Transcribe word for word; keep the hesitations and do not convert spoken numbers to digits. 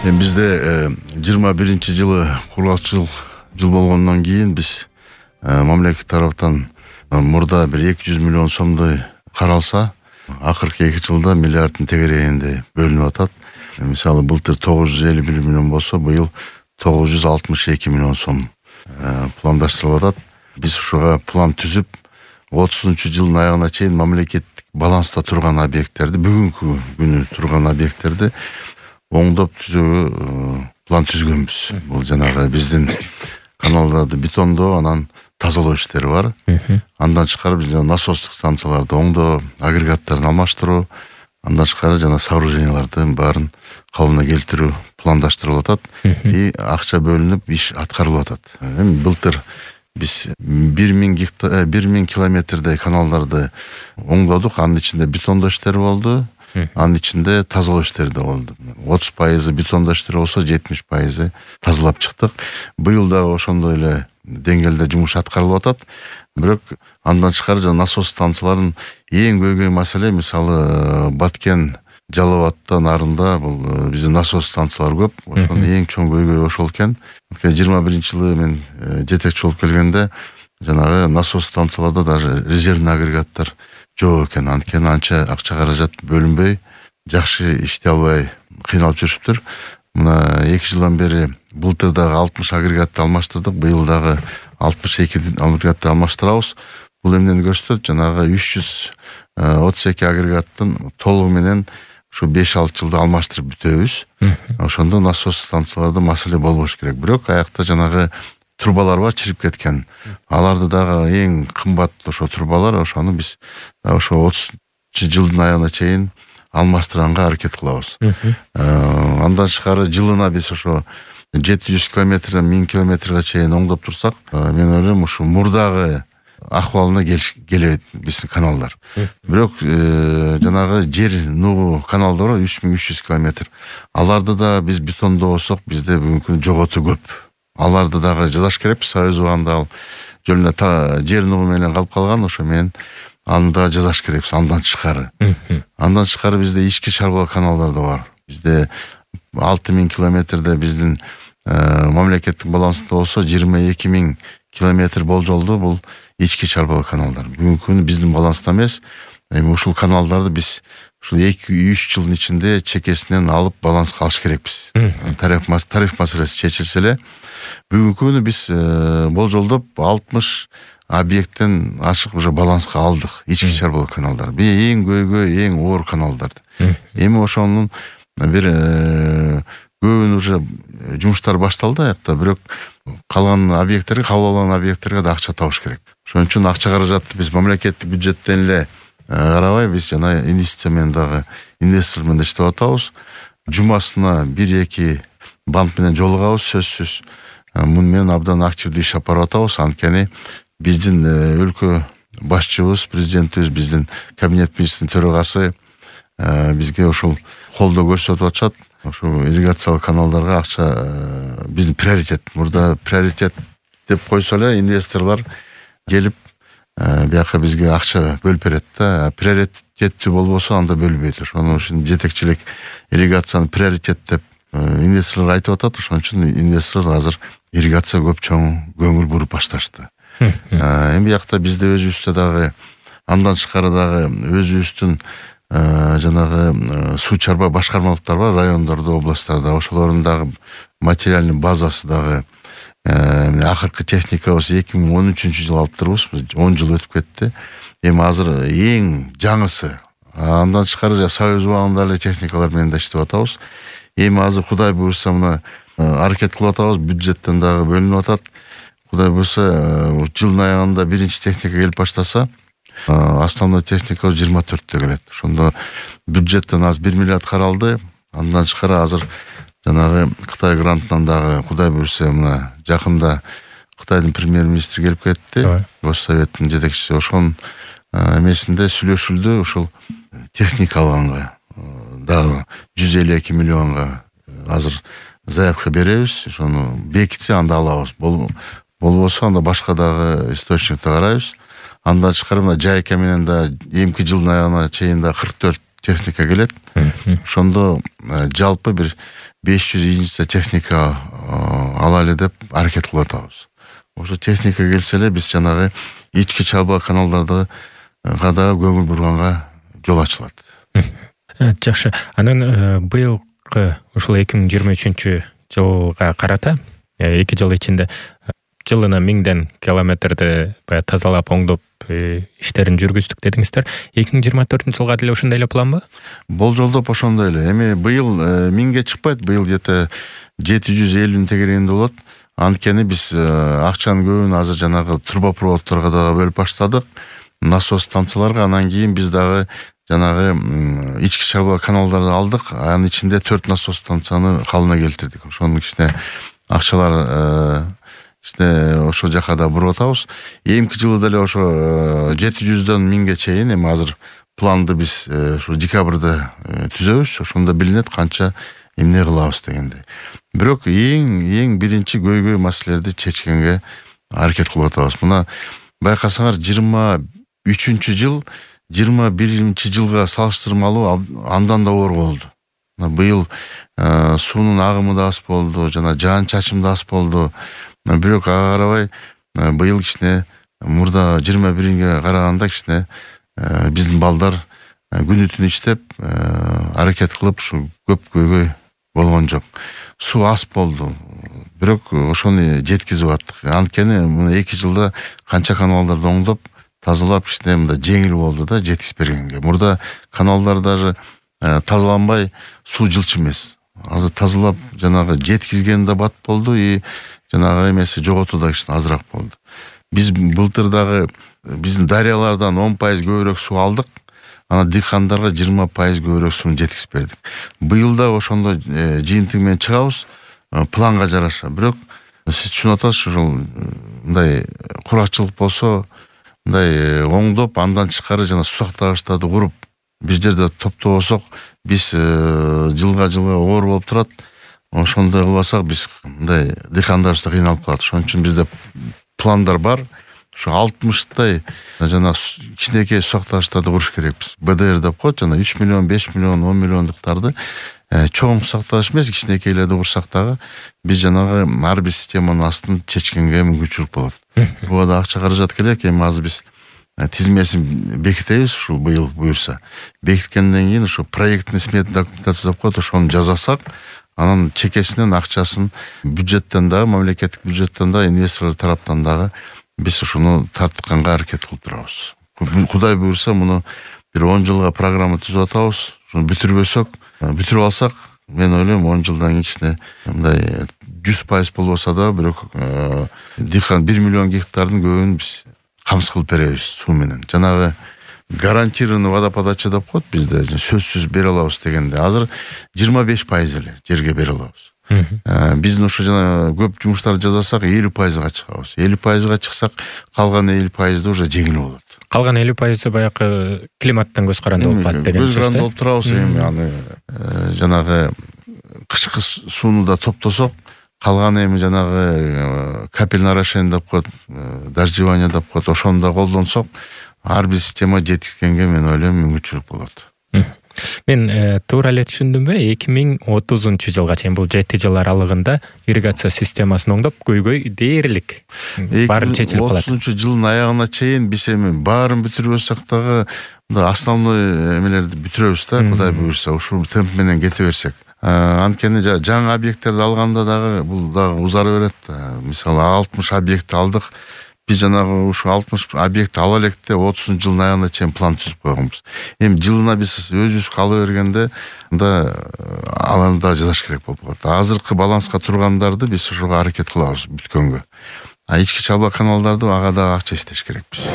Эми бизде жыйырма биринчи жылы кургакчыл жыл болгондон кийин биз мамлекет тараптан мурда бир эки жүз миллион сомдой каралса, акыркы эки жылда миллиарддын тегерегинде бөлүнүп атат. Мисалы былтыр тогуз жүз элүү бир миллион болсо, быйыл тогуз жүз алтымыш эки миллион сом пландаштырылып атат. Биз ушуга план түзүп, отузунчу жылдын аягына чейин мамлекеттик баланста турган объекттерди, бүгүнкү күнү турган объекттерди оңдоп түзүүгө план түзгөнбүз. Бул жанагы биздин каналдарды бетондоо, анан тазалоо иштери бар. Андан тышкары биз насостук станцияларды оңдоо, агрегаттарын алмаштыруу, андан тышкары жана сооружениялардын баарын калыбына келтирүү пландаштырылып атат. И акча бөлүнүп, иш аткарылып атат. Эми былтыр биз бир миң гектар, бир миң километрдей каналдарды оңдодук. Анын ичинде бетондоо иштери болду. Анын ичинде тазалоо иштери да болду. отуз пайызы бетондоо иштери болсо, жетимиш пайызы тазалап чыктык. Быйыл дагы ошондой эле деңгээлде жумуш аткарылып атат. Бирок андан тышкары жана насос станцияларынын эң көйгөй маселе, мисалы Баткен, Жалал Абадтан нарында бул биздин насос станциялар көп. Ошонун эң чоң көйгөй ошол экен. жыйырма биринчи жылы мен жетекчи болуп келгенде жанагы насос станцияларда даже резервный агрегаттар жок экен. Анткени анча акча каражат бөлүнбөй, жакшы иштей албай кыйналып жүрүптүр. Мына эки жылдан бери былтыр дагы алтымыш агрегатты алмаштырдык, быйыл дагы алтымыш эки агрегатты алмаштырабыз. Бул эмнени көрсөтөт? Жанагы үч жүз отуз эки агрегаттын толугу менен ушу беш алты жылда алмаштырып бүтөбүз. Ошондо насос станцияларда маселе болбош керек. Бирок аякта жанагы трубалар бар, чирип кеткен. Аларды дагы эң кымбат ошо трубалар, ошону биз ошо отузунчу жылдын аягына чейин алмаштырганга аракет кылабыз. Андан тышкары жылына биз ошо жети жүз километрден миң километрге чейин оңдоп турсак, мен ойлойм ушу мурдагы акыбалына келет биздин каналдар. Бирок жанагы жер нугу каналдар бар, үч миң үч жүз километр. Аларды да биз бетондоосок, бизде бүгүнкү жоготуу көп. Аларды дагы жазаш керекпиз. Союз убагында ал жөнүнө жер нугу менен калып калган, ошо менен аны да жазаш керекпиз. Андан тышкары. Андан тышкары бизде ички чарбалоо каналдар да бар. Бизде алты миң километрде биздин мамлекеттик балансында болсо, жыйырма эки миң километр болжолду бул ички чарбалоо каналдар. Бүгүнкү күнү биздин баланста эмес. Эми ушул каналдарды биз ушул эки үч жылдын ичинде чекесинен алып баланска алыш керекпиз. Тариф тариф маселеси чечилсе эле, бүгүнкү күнү биз болжолдоп алтымыш объекттен ашык уже баланска алдык, ички чарбалоо каналдар. Бул эң көйгөй, эң оор каналдар. Эми ошонун бир көбүн уже жумуштар башталды аякта, бирок калган объекттерге, кабыл алган объекттерге да акча табыш керек. Ошон үчүн акча каражатты биз мамлекеттик бюджеттен эле карабай, биз жана инвестиция менен дагы инвестор менен иштеп атабыз. Жумасына бир эки банк менен жолугабыз, сөзсүз. Муну менен абдан активдүү иш алып барып атабыз. Анткени биздин өлкө башчыбыз, президентибиз, биздин кабинет министринин төрагасы бизге ошол колдоо көрсөтүп атышат. Ошо ирригациялык каналдарга акча биздин приоритет. Мурда приоритет деп койсо эле инвесторлор келип бияка бизге акча бөлүп берет да. Приоритеттүү болбосо анда бөлбөйт. Ошону үчүн жетекчилик ирригацияны приоритет деп инвесторлор айтып атат. Ошон үчүн инвесторлор азыр ирригацияга көп чоң көңүл буруп башташты. Эми биякта бизде өзүбүздө дагы андан тышкары дагы өзүбүздүн жанагы суу чарба башкармалыктар бар, райондордо, областтарда. Ошолордун дагы материальный базасы дагы акыркы техникабыз эки миң он үчүнчү жылы алыптырбыз. он жыл өтүп кетти. Эми азыр эң жаңысы. Андан тышкары Союз убагында эле техникалар менен да иштеп атабыз. Эми азыр Кудай буйрса мына аракет кылып атабыз, бюджеттен дагы бөлүнүп атат. Кудай буйрса жылдын аягында биринчи техника келип баштаса, основной техника жыйырма төрттө келет. Ошондо бюджеттен аз бир миллиард каралды. Андан тышкары азыр жанагы Кытай грантынан дагы Кудай буйрса мына жакында Кытайдын премьер-министри келип кетти. Госсоветтин жетекчиси ошонун эмесинде сүйлөшүлдү. Ушул техника алганга дагы жүз элүү эки миллионго азыр заявка беребиз. Ошону бекитсе анда алабыз. Болбосо анда башка дагы источникти карайбыз. Андан тышкары мына Жайка менен да эмки жылдын аягына чейин да кырк төрт техника келет. ошондо жалпы бир беш жүз единица техника алалы деп аракет кылып атабыз. Ошо техника келсе эле биз жанагы ички чалба каналдарды да көңүл бурганга жол ачылат. Жакшы. Анан быйылкы ушул эки миң жыйырма үчүнчү жылга карата эки жыл ичинде жылына миңден километрди баягы тазалап оңдоп иштерин жүргүздүк дедиңиздер. эки миң жыйырма төртүнчү жылга деле ошондой эле план ба? Болжолдоп ошондой эле. Эми быйыл миңге чыкпайт, быйыл где-то жети жүз элүүнүн тегерегинде болот. Анткени биз акчанын көбүн азыр жанагы трубопроводторго дагы бөлүп баштадык. Насос станцияларга, анан кийин биз дагы жанагы ички чалба каналдарды алдык. Анын ичинде төрт насос станцияны калыбына келтирдик. Ошонун ичине акчалар işte ошо жака да буруп атабыз. Эмки жылы деле ошо жети жүздөн миңге чейин, эми азыр планды биз ошо декабрда түзөбүз. Ошондо билинет канча эмне кылабыз дегенде. Бирок эң эң биринчи көйгөй маселелерди чечкенге аракет кылып атабыз. Мына байкасаңар жыйырма үчүнчү жыл жыйырма биринчи жылга салыштырмалуу андан да оор болду. Быйыл суунун агымы да аз болду, жана жаан чачым да аз болду. Бирок ага карабай быйыл кичине мурда жыйырма биринге караганда кичине биздин балдар күнү түн иштеп аракет кылып ушу көп көйгөй болгон жок. Суу аз болду. Бирок ошону жеткизип аттык. Анткени мына эки жылда канча каналдарды оңдоп, тазалап кичине мында жеңил болду да жеткизип бергенге. Мурда каналдар даже тазаланбай суу жылчу эмес. Азыр тазалап жанагы жеткизген да бат болду и жанагы эмеси жоготуу да кичине азыраак болду. Биз былтыр дагы биздин дарыялардан он пайыз көбүрөөк суу алдык. Анан дыйкандарга жыйырма пайыз көбүрөөк сууну жеткизип бердик. Быйыл да ошондой жыйынтык менен чыгабыз, планга жараша. Бирок сиз түшүнүп атасыз, ушул мындай куракчылык болсо, мындай оңдоп, андан тышкары жана суу сактагычтарды куруп, бир жерде топтобосок, биз жылга жылга оор болуп турат. Ошондой кылбасак биз мындай дыйкандарыбыз да кыйналып калат. Ошон үчүн бизде пландар бар. Ушу алтымыштай жана кичинекей суу сактагычтарды куруш керекпиз. бэ дэ эр деп коет, жана үч миллион, беш миллион, он миллиондуктарды чоң суу сактагыч эмес, кичинекейлерди курсак дагы биз жанагы ар бир системанын астын чечкенге мүмкүнчүлүк болот. Буга да акча каражат керек. Эми азыр биз тизмесин бекитебиз, ушул быйыл буюрса. Бекиткенден кийин ушу проектный смета документация деп коет, ошону жасасак, анан чекесинен акчасын бюджеттен дагы, мамлекеттик бюджеттен дагы, инвесторлор тараптан дагы биз ушуну тартканга аракет кылып турабыз. Кудай буюрса, муну бир он жылга программа түзүп атабыз. Ушуну бүтүрбөсөк, бүтүрүп алсак, мен ойлойм он жылдан кийин кичине мындай жүз пайыз болбосо да, бирок дыйкан бир миллион гектардын көбүн биз камсыз кылып беребиз суу менен. Жанагы гарантированный водоподача деп коет бизде, сөзсүз бере алабыз дегенде. Азыр жыйырма беш пайыз эле жерге бере алабыз. Биздин ошо жана көп жумуштарды жасасак элүү пайызга чыгабыз. элүү пайызга чыксак, калган элүү пайызы уже жеңил болот. Калган элүү пайызы баягы климаттан көз каранды болуп калат деген сөз. Көз каранды болуп турабыз эми, аны жанагы кышкы сууну да топтосок, калган эми жанагы капельное орошение деп коет, дождевание деп коет, ошону да колдонсок, ар бир система жетишкенге мен ойлойм мүмкүнчүлүк болот. Мен туура эле түшүндүмбү? эки миң отузунчу жылга чейин, бул жети жыл аралыгында ирригация системасын оңдоп, көйгөй дээрлик баары чечилип калат. отузунчу жылдын аягына чейин биз эми баарын бүтүрбөсөк дагы основной эмелерди бүтүрөбүз да, Кудай буюрса, ушул темп менен кете берсек. Анткени жаңы объекттерди алганда дагы бул дагы узара берет. Мисалы алтымыш объект алдык. Биз жанагы ушу алтымыш объект ала электе отузунчу жылдын аягына чейин план түзүп койгонбуз. Эми жылына биз өзүбүз ала бергенде анда аларды да жасаш керек болуп калат. Азыркы баланска тургандарды биз ошого аракет кылабыз бүткөнгө. А ички чалба каналдарды ага дагы акча иштеш керекпиз.